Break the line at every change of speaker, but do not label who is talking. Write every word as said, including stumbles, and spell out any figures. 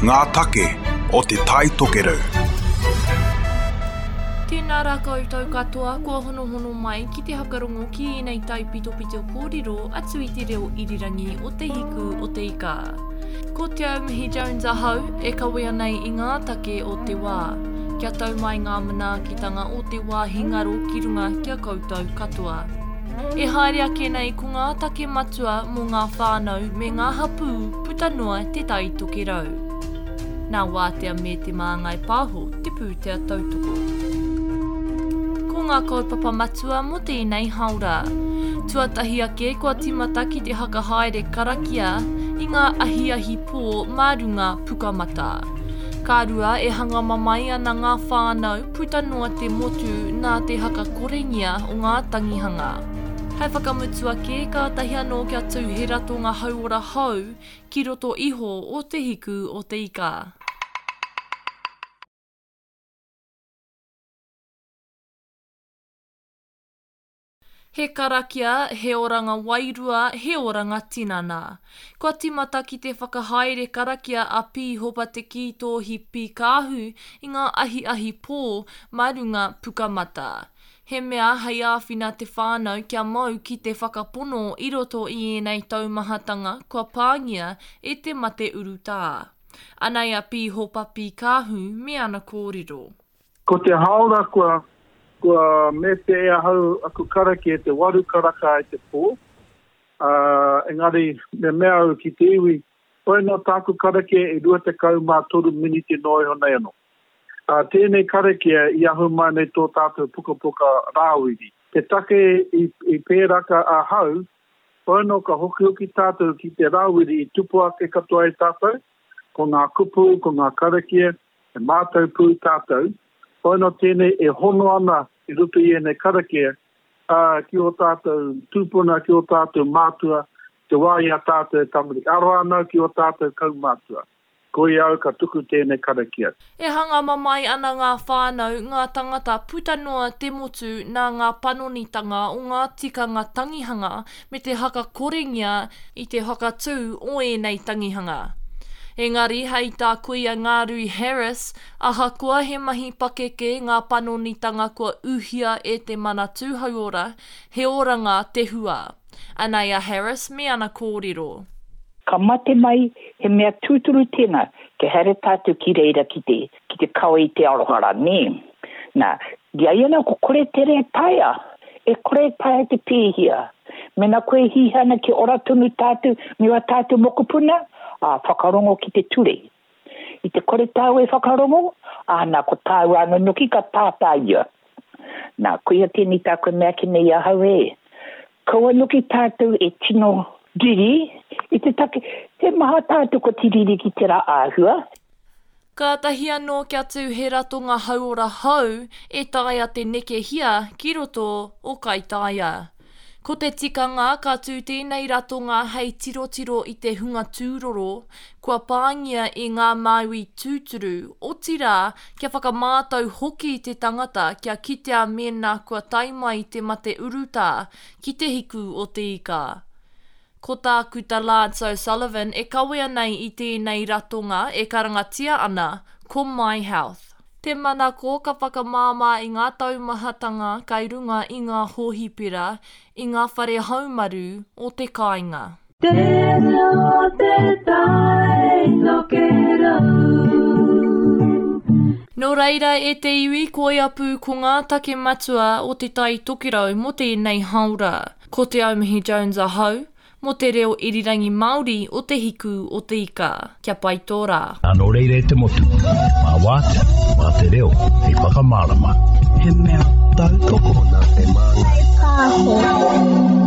Ngā take o Te Tai Tokerau.
Tēnā rā koutou katoa kua honohono mai ki te hakarongo ki ēnei taipitopito kōrero atu i te reo irirangi o Te Hiku o Te Ika. Ko Te Aumihi Jones ahau e kawea nei i ngā take o te wā. Kia tau mai ngā manaakitanga o te wāhi ngaro ki runga ki a koutou katoa. E haere ake nei ko ngā take matua mō ngā whānau me ngā hapū puta noa Te Tai Tokerau. Nā Wātea me Te Māngai Pāho te pūtea tautoko. Ko ngā kaupapa matua mō tēnei haora. Tuatahi ake kua tīmata ki te hakahaere karakia i ngā ahiahi pō mā runga Pukamata. Ka rua e hanga mamae ana ngā whānau puta noa te motu nā te hakakorengia o ngā tangihanga. Hei whakamutu ake, kātahi anō kia tū he ratonga hauora hou ki roto iho o Te Hiku o Te Ika. He karakia, he oranga wairua, he oranga tinana. Kua tīmata ki te whakahaere karakia a Pīhopa Te Kītōhi Pīkāhu i ngā ahiahi pō mā runga Pukamata. He mea hei āwhina te whānau kia mau ki te whakapono i roto i ēnei taumahatanga kua pāngia e te mate urutā. Anei a Pīhopa Pīkāhu me ana kōrero.
Ko te haora kua, kua mete e ahau aku karakia te waru karaka i te pō. Uh, engari me mea au ki te iwi, hoi nō tāku karakia e rua tekau mā toru miniti noa iho nei anō. Uh, tēnei karakia i ahu mai nei tō tātou pukapuka Rāwiri. Te take i, i pēraka ahau, hoi nō ka hokihoki tātou ki te Rāwiri i tupu ake katoa i tātou, ko ngā kupu, ko ngā karakia, e mātau pū tātou. Hoi nō tēnei e hono ana i roto i ēnei karakia, uh, ki o tātou tūpuna, ki o tātou mātua, te wā i a tātou e tamariki. Aroha ana ki o tātou kaumātua. Koia au ka tuku tēnei karakia.
E hanga mamae ana ngā whānau, ngā tangata puta noa te motu nā ngā panonitanga o ngā tikanga tangihanga me te hakakorengia i te whakatū o ēnei tangihanga. Engari hei tā kuia Ngārui Harris, ahakoa he mahi pakeke ngā panonitanga kua uhia e te Manatū Hauora, he oranga te hua. Anei a Harris me ana kōrero.
Ka mate mai, he mea tūturu tēnā, ke haere tātou ki reira ki te, ki te kawe i te aroha rā, nē. Nā, i a ia nā, ko kore tere taea, e kore taea te pēhia. Mena koe hiahia ana ki ora tonu tātou, me wā tātou mokopuna, ā, whakarongo ki te ture. I te kore tāu e whakarongo, ā, nā, ko tāu anō noki ka tātā ia. Nā, koia tēnei tāku e mea ake nei ahau e. Kaua noki tātou e tino riri i te take, he maha tātou ko te riri ki tērā āhua.
Kātahi anō kia tū he ratonga hauora hou e taea te nekehia ki roto o Kaitaia. Ko te tikanga ka tū tēnei ratonga hei tirotiro i te hunga tūroro, kua pāngia i ngā māui tūturu, otirā kia whakamātau hoki te tangata kia kitea mēnā kua tae mai te mate urutā ki te hiku o te ika. Ko Tākuta Lance O'Sullivan e kawea nei i tēnei ratonga e karangatia ana ko My Health. Te manako ka whakamāmā i ngā taumahatanga kai runga i ngā hōhipera, i ngā whare haumaru o te kāinga.
Te reo te tai tokerau.
Nō reira e te iwi koia pū ko ngā take matua o Te Tai Tokerau mō tēnei haora. Ko Te Aumihi Jones ahau, mō te reo irirangi Māori o Te Hiku o Te Ika. Kia pai tō rā.
Nō reira e te motu, mā Wātea, mā te reo, hei whakamārama.
He mea tautoko
nā Te Māngai Pāho.